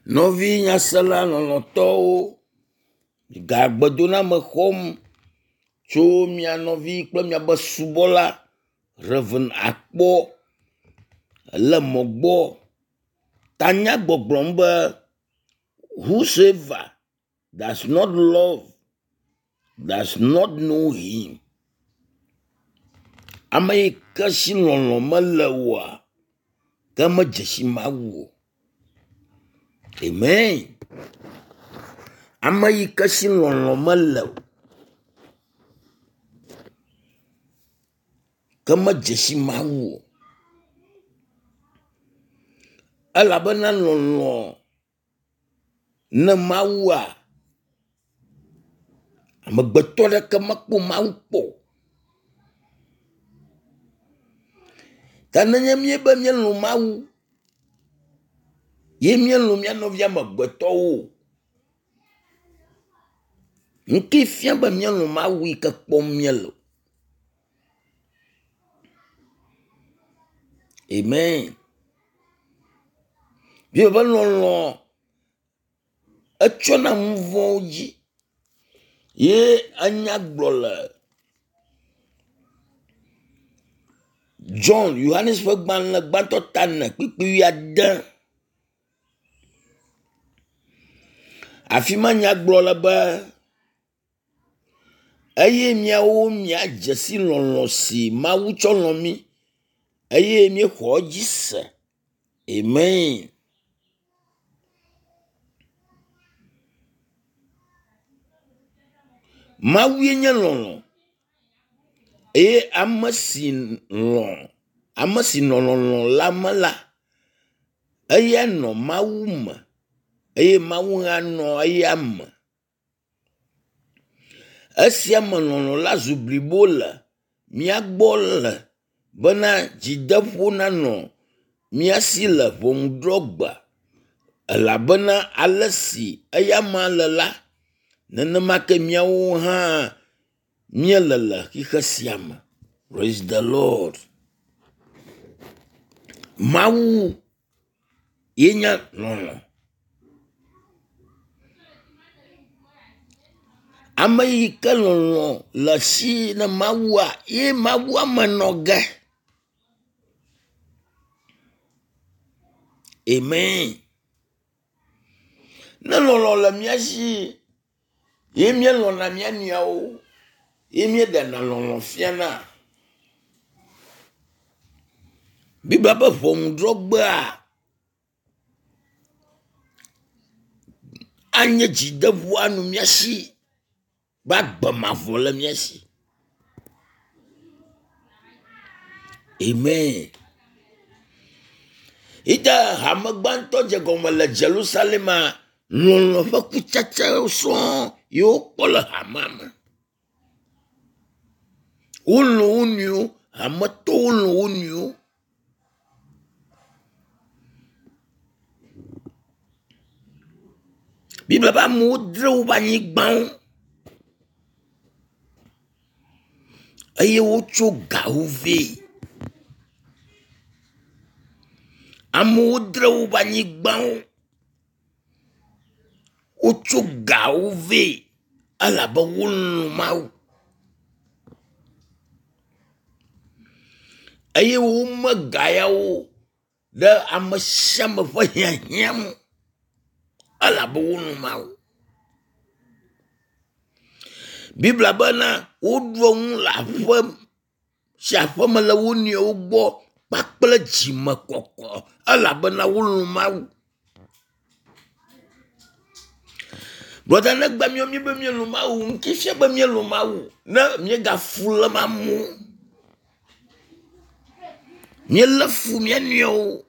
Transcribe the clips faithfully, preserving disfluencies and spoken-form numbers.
Nɔvi nyasela lɔlɔ̃tɔwo, gagbedoname xɔm tso mia nɔvi kple miabe subɔla Rev. Akpɔ le mɔ gbɔ. Tanya gbɔgblɔm be whosoever does not love does not know him. Ame yi ke si lɔlɔ̃ mele oa, ke medze si Mawu o. Amen. Ame yi ke si lɔlɔ̃ mele o ke medze si Mawu o. Elabena lɔlɔ̃ ne Mawua, amegbetɔ ɖeke mekpɔ Mawu kpɔ o. Ke nenye míebe míelɔ̃ Mawu ye míelɔ̃ mía nɔvi amegbetɔwo o, nu ke fia be míelɔ̃ Mawu yi ke kpɔm míele o. Amen. Biblia be lɔlɔ̃ etsɔna nu vɔ̃wo dzi ye enya gblɔ le John Yohanes ƒe gbalẽ gbãtɔ ta ene kpukpui wuiade. Afi ma nya gblɔ le be eye miawo miadze si lɔlɔ̃ si Mawu tsɔ lɔ̃ mí eye míexɔ edzi se. Amen. Mawue nye lɔlɔ̃ eye ame si lɔ̃ ame si nɔ lɔlɔ̃ la me la, eya nɔ Mawu me eye Mawu hã nɔ eya me. Esia me lɔlɔ̃ la zu blibo le mía gbɔ le bena dzideƒo nanɔ mía si le ʋɔnudrɔ̃gbe elabena ale si eyama le la, nenema ke míawo hã míele le xixe sia me. Praise the Lord. Mawu ye nye lɔlɔ̃. Ame yi ke lɔlɔ̃ le esi ne Mawua ye Mawua me nɔ ge. Amen. Ne lɔlɔ̃ le mía si ye míelɔ̃na mía nɔewo ye míeɖena lɔlɔ̃ fiana. Biblia be ʋɔnudrɔ̃gbea anye dzideƒo anɔ mía si be agbe mavɔ le mía si. Amen. Ite hame gbãtɔ dze gɔme le Jerusalema, lɔlɔ̃ ƒe kutsetsewo sɔŋ ye wokpɔ le hamea me. Wolɔ̃ wo nɔewo, hametɔwo lɔ̃ wo nɔewo. Biblia be amewo dzra woƒe anyigbawo eye wotso gawo vɛ. Amewo dzra woƒe anyigbawo, wotso gawo vɛ elabe wolɔ̃ Mawu eye wome ga yawo ɖe ame sia ame ƒe hiahiã ŋu elabe wolɔ̃ Mawu. Biblia bena woɖua nu le aƒe sia aƒe me le wo nɔewo gbɔ kpakple dzimekɔkɔ elabena wolɔ̃ Mawu. Brɔda negba míawo míebe míelɔ̃ Mawu, ŋuti fia be míelɔ̃ Mawu ne míegafu lém amewo. Míelé fu mía nɔewo.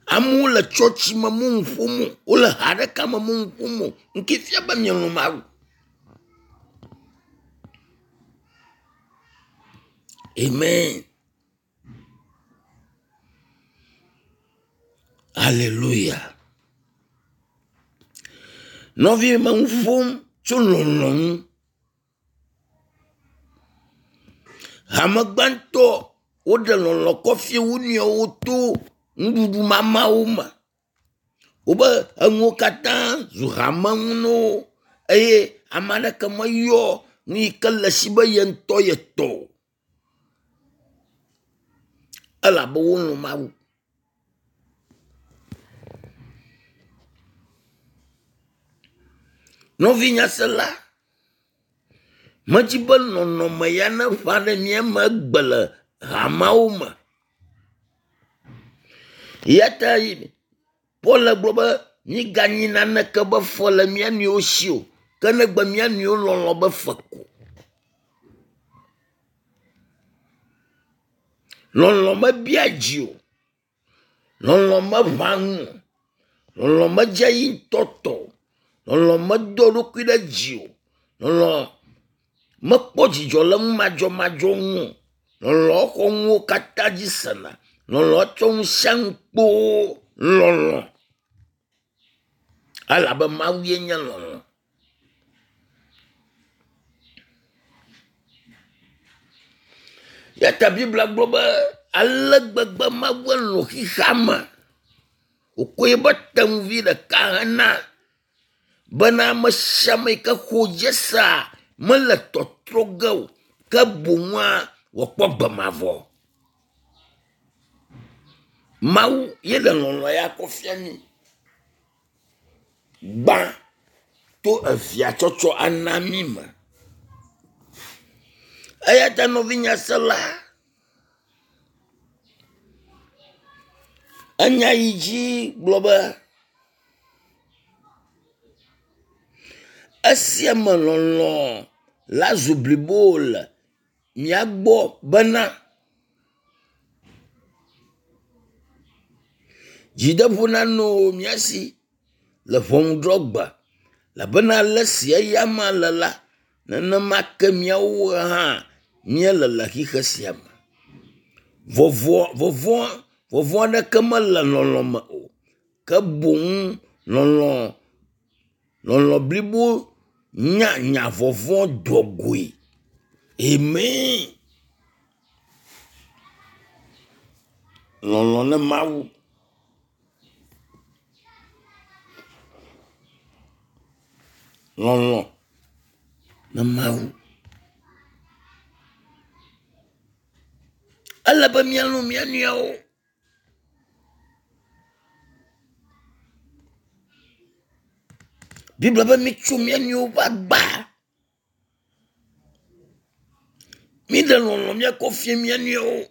Amewo le tsɔtsi me mo nu ƒom o, wole ha ɖeka me mo nu ƒom o. Ŋke fia be mielɔ̃ Mawu. Amen. Hallelujah. Nɔvi me nu ƒom tso lɔlɔ̃ ŋu. Hame gbãtɔ woɖe lɔlɔ̃ kɔ fia wo nɔewo to nuɖuɖu mamawo me. Wobe enuwo katã zu hame nu na wo eye ame aɖeke meyɔ nu yi ke le esi be ye ŋutɔ ye tɔ o elabe wolɔ̃ Mawu. Nɔvi nyasela, medzi be nɔnɔme ya neʋã ɖe mía me egbe le hameawo me. Eya ta Paul gblɔ be míganyi naneke be fe le mía nɔewo si o ke negbe mía nɔewo lɔlɔ̃ be fe ko. Lɔlɔ̃ mebia dzi o, lɔlɔ̃ meʋã ŋu o, lɔlɔ̃ medze yi ŋutɔ tɔ o, lɔlɔ̃ medo eɖokui ɖe dzi o, lɔlɔ̃ mekpɔ dzidzɔ le nu madzɔmadzɔ ŋu o, lɔlɔ̃ xɔ nuwo katã dzi sena, lɔlɔ̃ tsɔ nu sia nu kpoo, lɔlɔ̃ elabe Mawu ye nye lɔlɔ̃. Eya ta Biblia gblɔ be ale gbegbe Mawu lɔ̃ xexea me wòkɔ eƒe tenuvi ɖeka hena bena ame sia ame yi ke xɔ dzi sea mele tɔtrɔ ge o ke boŋua wòakpɔ gbe mavɔ. Mawu ye le lɔlɔ̃ ya kɔ fia mí. Gbã to evia tsɔtsɔ ana mí me. Eya ta nɔvi nyasela, enya yi dzi gblɔ be esia me lɔlɔ̃ la zu blibo le mía gbɔ bena dzideƒo nanɔ mía si le ʋɔnudrɔ̃gbe elabena ale si eyama le la, nenema ke míawo hã míele le xexe sia me. Vɔvɔ̃ vɔvɔ̃ vɔvɔ̃ aɖeke mele lɔlɔ̃ me o ke boŋ lɔlɔ̃ lɔlɔ̃ blibo nya nya vɔvɔ̃ doa goe. Amen. Lɔlɔ̃ ne Mawu. Lɔlɔ̃ ne Mawu. Ele be míalɔ̃ mía nɔewo. Biblia be mitso mía nɔewo ƒe agba. Míɖe lɔlɔ̃ míakɔ fia mía nɔewo.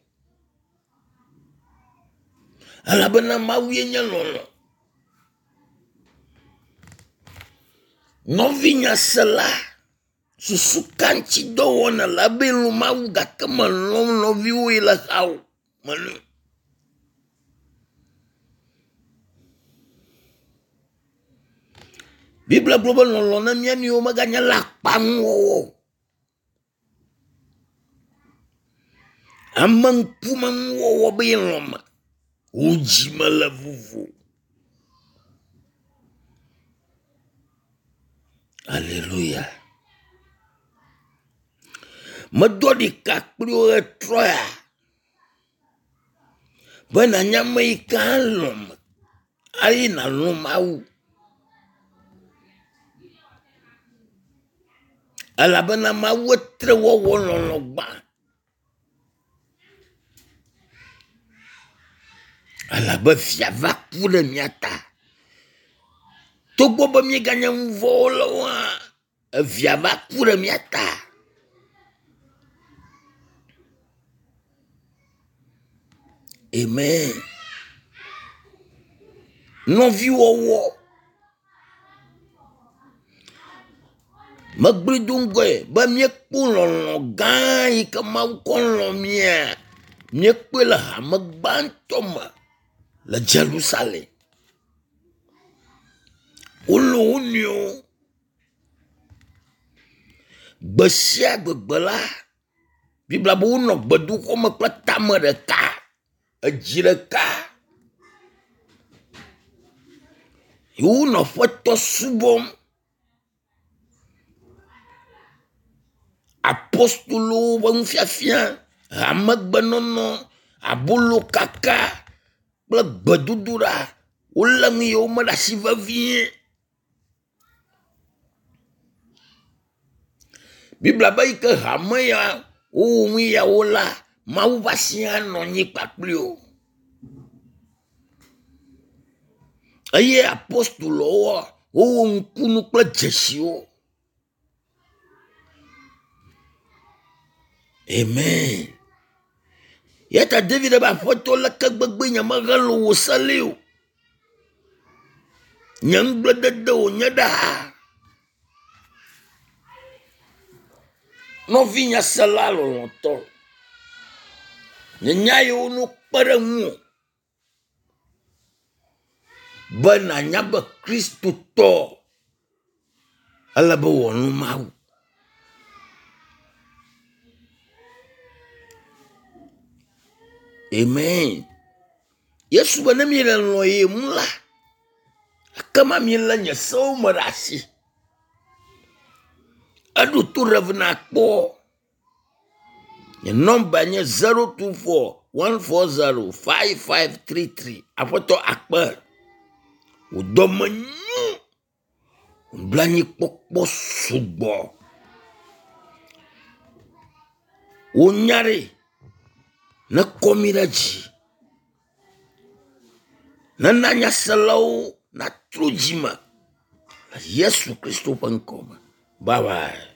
Elabena Mawu ye nye lɔlɔ̃. Nɔvi nyasela, susu ka ŋuti dɔ wɔm nèle ebe lɔ̃ Mawu gake mèlɔ̃ nɔviwò yi le xawò melɔ̃e. Biblia gblɔ be lɔlɔ̃ na mía nɔewo meganye le akpanuwɔwɔ o. Ame ŋkumenuwɔwɔ be yelɔ̃ me, wò dzime le vovo. Aleluya. Medɔ ɖeka kpli wo ɣetrɔ ya be nànya ame yi ke alɔ̃ me eye nàlɔ̃ Mawu. Elabena Mawu etre wɔwɔ lɔlɔ̃ gbã. Elabe via va ku ɖe mía ta. Togbɔ be míeganye nu vɔ̃ wɔlawo hã, evia va ku ɖe mía ta. Amen. Nɔviwɔwɔ. Megblɔe do ŋgɔe be míekpɔ lɔlɔ̃ gã yi ke Mawu kɔ lɔ̃ mía. Míekpɔe le hame gbãtɔ me le Jerusalem. Wolɔ̃ wo nɔewo. Gbe sia gbegbe la, Biblia be wonɔ gbedoxɔ me kple tame ɖeka, edzi ɖeka. Ye wonɔ Aƒetɔ subɔm. Apostolowo ƒe nufiafia, hamegbenɔnɔ, abolokaka kple gbedodoɖa Wolé nu yiwo me ɖe asi vevie. Biblia be yi ke hame ya wowɔ nu yawo la, Mawu ƒe asi anɔ anyi kpakpli wo. Eye apostolowoa, wowɔ nukunu kple dzesiwo. Amen. Ya ta David be aƒetɔ leke gbegbe nye mehelɔ̃ wò se li o. Nye ŋugbledede wònye ɖaa. Nɔvi nyasela lɔlɔ̃tɔ, nye nya yiwo no kpe ɖe ŋuwò be nànya be Kristotɔ ele be wòalɔ̃ Mawu. Amen. Yesu be ne miele lɔ̃ ye ŋu la, ekema milé nye sewo me ɖe asi. Eɖo to Rev. Nakpɔ. Nye nɔmba nye zero two four one four zero five five three three. Aƒetɔ akpe. Wò dɔme nyo. Nublanuikpɔkpɔ sugbɔ. Wò nya ɖe nekɔ mí ɖe dzi. Nena nyaselawo natrɔ dzime le Yesu Kristo ƒe ŋkɔ me. Bye bye.